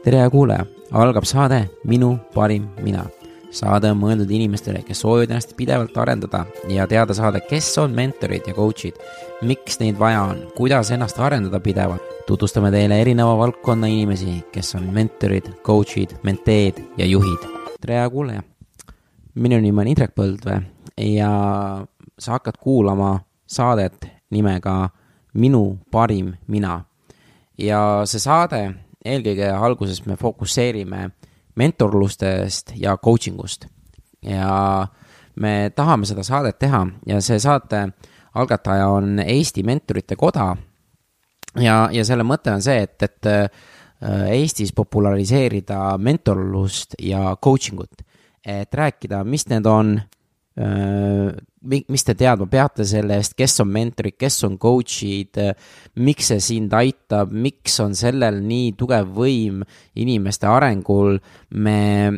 Tere kuulaja, algab saade Minu parim mina. Saade on mõeldud inimestele, kes soovivad ennast pidevalt arendada ja teada saada, kes on mentorid ja coachid, miks neid vaja on, kuidas ennast arendada pidevalt. Tutvustame teile erineva valdkonna inimesi, kes on mentorid, coachid, menteed ja juhid. Tere kuulaja, minu nimi on Indrek Põldvee ja sa hakkad kuulama saadet nimega Minu parim mina. Ja see saade eelkõige alguses me fokusseerime mentorlustest ja coachingust ja me tahame seda saadet teha ja see saate algataja on Eesti Mentorite Koda ja selle mõte on see, et Eestis populariseerida mentorlust ja coachingut, et rääkida, mis need on, mis te teadma peate sellest, kes on mentorid, kes on coachid, miks see sind aitab, miks on sellel nii tugev võim inimeste arengul. Me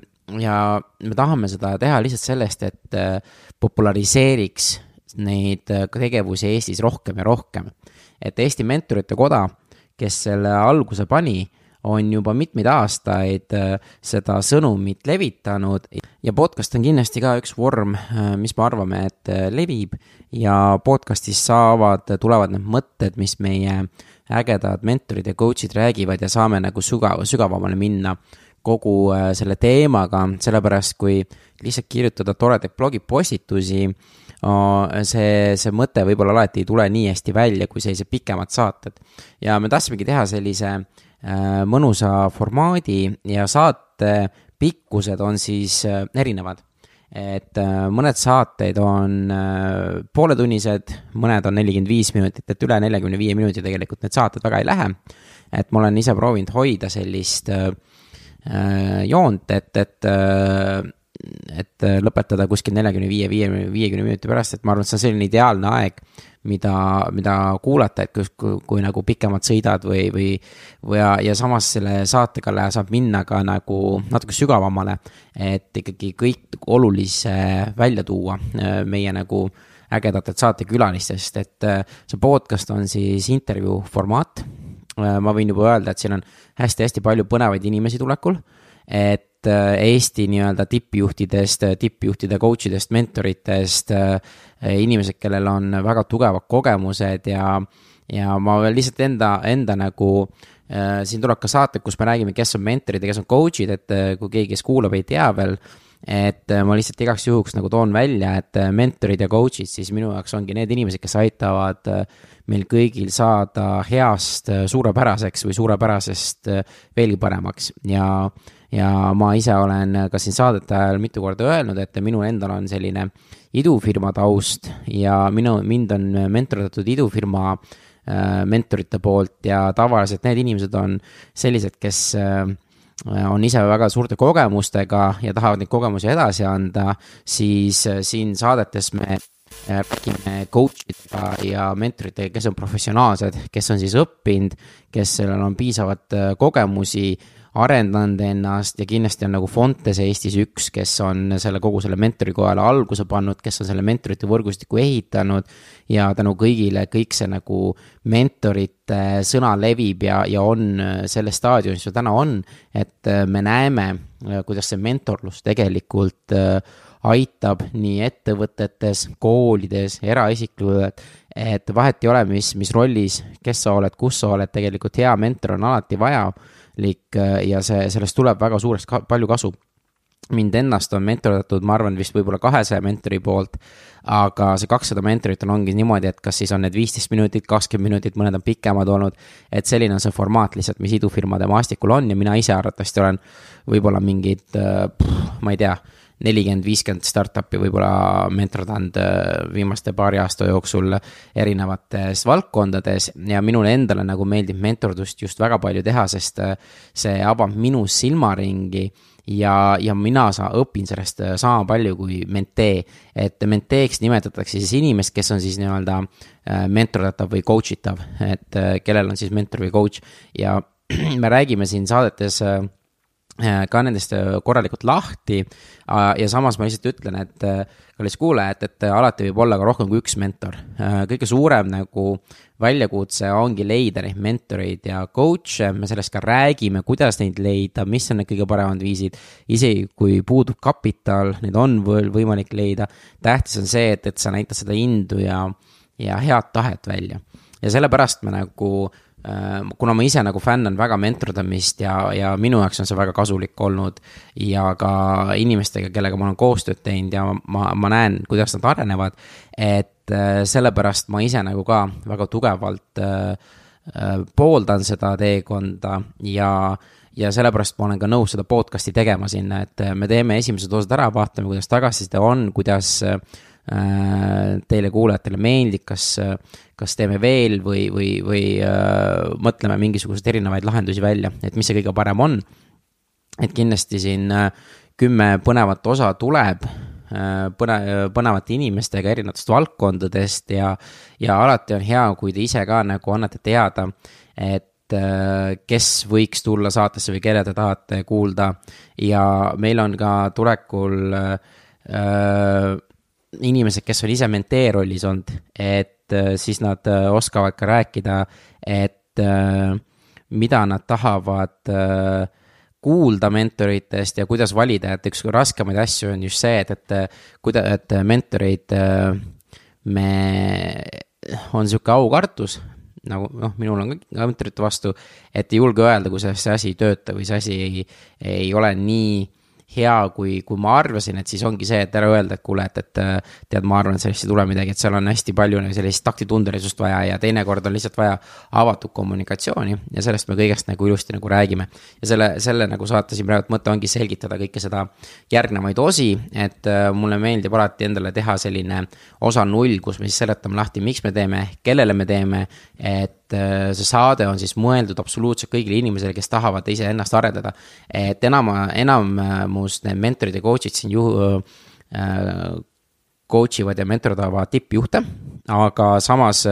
tahame seda teha lihtsalt sellest, et populariseeriks neid tegevusi Eestis rohkem ja rohkem. Et Eesti Mentorite Koda, kes selle alguse pani, on juba mitmeid aastaid seda sõnumit levitanud ja podcast on kindlasti ka üks vorm, mis me arvame, et levib ja podcastis tulevad need mõtted, mis meie ägedad mentorid ja coachid räägivad ja saame nagu sügavamale minna kogu selle teemaga, sellepärast kui lihtsalt kirjutada toredaid blogipostitusi, see mõte võib-olla alati ei tule nii hästi välja kui sellised pikemad saated ja me tahtsimegi teha sellise mõnusa formaadi ja saate pikkused on siis erinevad. Et mõned saateid on pooletunnised, mõned on 45 minutit, et üle 45 minuti tegelikult need saated väga ei lähe. Et ma olen ise proovinud hoida sellist joont, et lõpetada kuskil 45-50 minuti pärast, et ma arvan, et see on selline ideaalne aeg, mida kuulata, et kui nagu pikemalt sõidad ja samas selle saatega saab minna ka nagu natuke sügavamale, et ikkagi kõik olulise välja tuua meie nagu ägedatelt saatekülalistest, et see podcast on siis intervjuu formaat. Ma võin juba öelda, et siin on hästi palju põnevaid inimesi tulekul, et Eesti nii-öelda tippjuhtide coachidest, mentoritest, inimesed, kellel on väga tugevad kogemused ja ma lihtsalt enda nagu, siin tuleb ka saate, kus me räägime, kes on mentorid ja kes on coachid, et kui keegi, kes kuulab, ei tea veel, et ma lihtsalt igaks juhuks nagu toon välja, et mentorid ja coachid siis minu jaoks ongi need inimesed, kes aitavad meil kõigil saada heast suurepäraseks või suurepärasest veelgi paremaks ja ma ise olen ka siin saadete ajal mitu korda öelnud, et minul endal on selline idufirma taust ja mind on mentordatud idufirma mentorite poolt ja tavaliselt need inimesed on sellised, kes on ise väga suurte kogemustega ja tahavad neid kogemusi edasi anda, siis siin saadetes me räägime coachidega ja mentoritega, kes on professionaalsed, kes on siis õppinud, kes sellel on piisavat kogemusi, arendanud ennast ja kindlasti on nagu Fontes Eestis üks, kes on kogu selle mentorikojale alguse pannud, kes on selle mentorite võrgustiku ehitanud ja tänu kõigile kõik see nagu mentorite sõna levib ja on selles staadiumis, mis täna on, et me näeme, kuidas see mentorlus tegelikult aitab nii ettevõtetes, koolides, eraisiklud, et vahet ei ole, mis rollis, kes sa oled, kus sa oled, tegelikult hea mentor on alati vajalik ja sellest tuleb väga suurest palju kasu. Mind ennast on mentordatud, ma arvan, vist võib-olla 200 mentori poolt, aga see 200 mentorit ongi niimoodi, et kas siis on need 15 minutit, 20 minutit, mõned on pikemad olnud, et selline on see formaat lihtsalt, mis idufirmade maastikul on ja mina ise arvatavasti olen võib-olla mingid, ma ei tea, 40-50 startupi võib-olla mentordanud viimaste paari aasta jooksul erinevates valdkondades ja minule endale nagu meeldib mentordust just väga palju teha, sest see avab minu silmaringi ja mina õpin sellest sama palju kui mentee, et menteeks nimetatakse siis inimest, kes on siis nii-öelda mentordatav või coachitav, et kellel on siis mentor või coach ja me räägime siin saadetes ka nendest korralikult lahti ja samas ma lihtsalt ütlen, et kallis kuulajad, et alati võib olla ka rohkem kui üks mentor. Kõige suurem nagu väljakutse ongi leida neid mentoreid ja coach'e, me sellest ka räägime, kuidas neid leida, mis on need kõige paremad viisid, isegi kui puudub kapital, neid on võimalik leida. Tähtis on see, et sa näitad seda indu ja head tahet välja. Ja sellepärast me nagu kuna ma ise nagu fännan väga mentordamist ja minu jaoks on see väga kasulik olnud ja ka inimestega, kellega ma olen koostööd teinud ja ma näen, kuidas nad arenevad, et sellepärast ma ise nagu ka väga tugevalt pooldan seda teekonda ja sellepärast ma olen ka nõus seda podcasti tegema sinna, et me teeme esimesed osad ära, vaatame, kuidas tagasiside on, kuidas teile kuulajatele meeldib, kas teeme veel või mõtleme mingisuguseid erinevaid lahendusi välja, et mis see kõige parem on. Et kindlasti siin 10 põnevat osa tuleb põnevate inimestega erinevatest valdkondadest ja alati on hea, kui te ise ka nagu annate teada, et kes võiks tulla saatesse või kelle te tahate kuulda ja meil on ka tulekul inimesed, kes on ise mentee rollis olnud, et siis nad oskavad ka rääkida, et mida nad tahavad kuulda mentoritest ja kuidas valida, et üks raskemaid asju on just see, et mentoreid on siuke aukartus, nagu minul on ka mentorite vastu, et ei julge öelda, kui see asi ei tööta või see asi ei ole nii hea, kui ma arvasin, et siis ongi see, et ära öelda, et kuule, et tead, ma arvan, et sellest ei tule midagi, et seal on hästi palju sellist taktitundelisust vaja ja teinekord on lihtsalt vaja avatud kommunikatsiooni ja sellest me kõigest nagu ilusti nagu räägime. Ja selle nagu saate siin praegu mõte ongi selgitada kõike seda järgnevaid osi, et mulle meeldib alati endale teha selline osa 0, kus me siis seletame lahti, miks me teeme, kellele me teeme, et see saade on siis mõeldud absoluutselt kõigile inimesele, kes tahavad ise ennast arendada, et enamus need mentorid ja coach'id siin coach ivad ja mentordavad tippjuhte, aga samas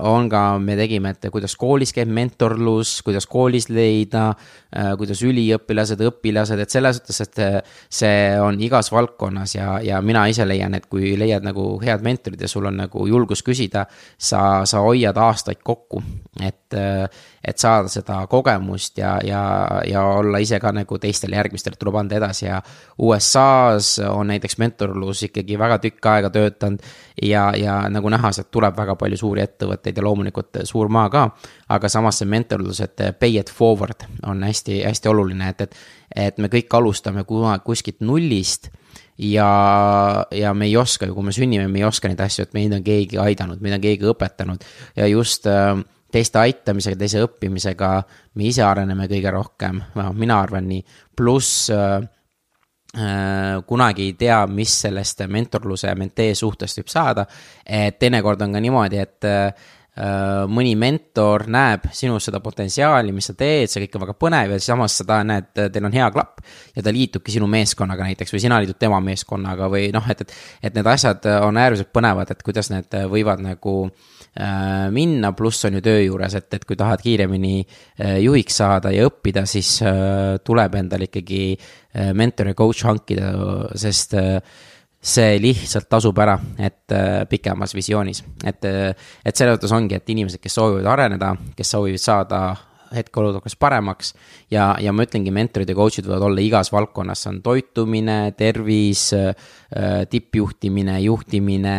on ka, me tegime, et kuidas koolis käib mentorlus, kuidas koolis leida, kuidas üliõpilased, õpilased, et selles suhtes, et see on igas valdkonnas ja mina ise leian, et kui leiad nagu head mentorid ja sul on nagu julgus küsida, sa hoiad aastaid kokku, et saada seda kogemust ja olla ise ka nagu teistele järgmistele tuleb anda edasi ja USA-s on näiteks mentorlus ikkagi väga tükk aega töötanud ja nagu näha, sealt tuleb väga palju suuri ettevõtteid ja loomulikult suur maa ka, aga samas see mentorlus, et pay it forward on hästi, hästi oluline, et me kõik alustame kuskilt nullist ja me ei oska ju, kui me sünnime, me ei oska neid asju, et meid on keegi aidanud, meid on keegi õpetanud ja just teiste aitamisega, teise õppimisega me ise areneme kõige rohkem, mina arvan nii, pluss kunagi ei tea, mis sellest mentorluse ja mentee suhtest võib saada, et teinekord on ka niimoodi, et mõni mentor näeb sinus seda potentsiaali, mis sa teed, see kõik on väga põnev ja samas sa näed, teil on hea klapp ja ta liitubki sinu meeskonnaga näiteks või sina liitud tema meeskonnaga või et need asjad on äärmiselt põnevad, et kuidas need võivad nagu minna, pluss on ju töö juures, et kui tahad kiiremini juhiks saada ja õppida, siis tuleb endal ikkagi mentor ja coach hankida, sest see lihtsalt tasub ära, et pikemas visioonis, et selle mõttes ongi, et inimesed, kes soovivad areneda, kes soovivad saada hetkeolukorras paremaks ja ma ütlengi, mentorid ja coach'id võivad olla igas valdkonnas, on toitumine, tervis, tippjuhtimine, juhtimine,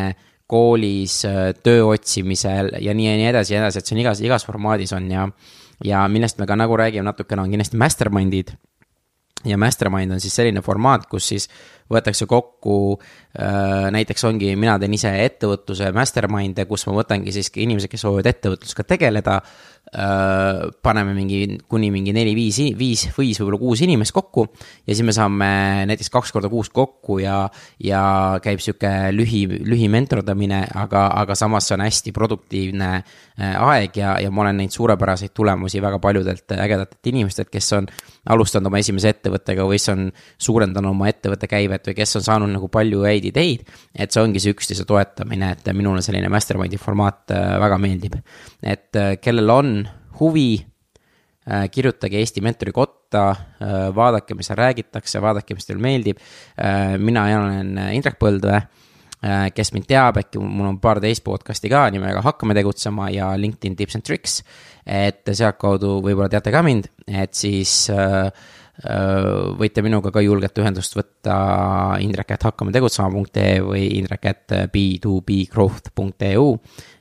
koolis, töö otsimisel ja nii edasi, et see on igas formaadis on ja millest me ka nagu räägime natukene on kindlasti mastermindid ja mastermind on siis selline formaat, kus siis võetakse kokku, näiteks ongi, mina teen ise ettevõtluse masterminde, kus ma võtangi siis inimesed, kes soovivad ettevõtlusega tegeleda, paneme kuni 4-5 võib-olla 6 inimest kokku ja siis me saame näiteks 2 korda kuus kokku ja käib siuke lühi mentordamine, aga samas see on hästi produktiivne aeg ja ma olen neid suurepäraseid tulemusi väga paljudelt ägedatelt inimestelt, kes on alustanud oma esimese ettevõttega või kes on suurendanud oma ettevõtte käivet või kes on saanud nagu palju häid ideid, et see ongi see üksteise toetamine, et minule selline mastermindi formaat väga meeldib, et kellel on huvi kirjutage Eesti Mentori kotta, vaadake, mis seal räägitakse, vaadake, mis teil meeldib. Mina olen Indrek Põldvee, kes mind teab, äkki mul on paar teist podcasti ka nimega Hakkame tegutsema ja LinkedIn Tips and Tricks, et sealt kaudu võib-olla teate ka mind, et siis võite minuga ka julgelt ühendust võtta indrek@hakkametegutsema.ee või indrek@b2bgrowth.eu,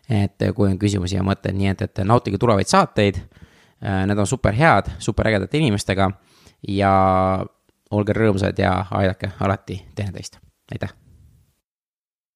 et kui on küsimusi ja mõtted, nii et nautige tulevaid saateid, need on super head, super ägedate inimestega ja olge rõõmsad ja aidake alati teineteist, aitäh!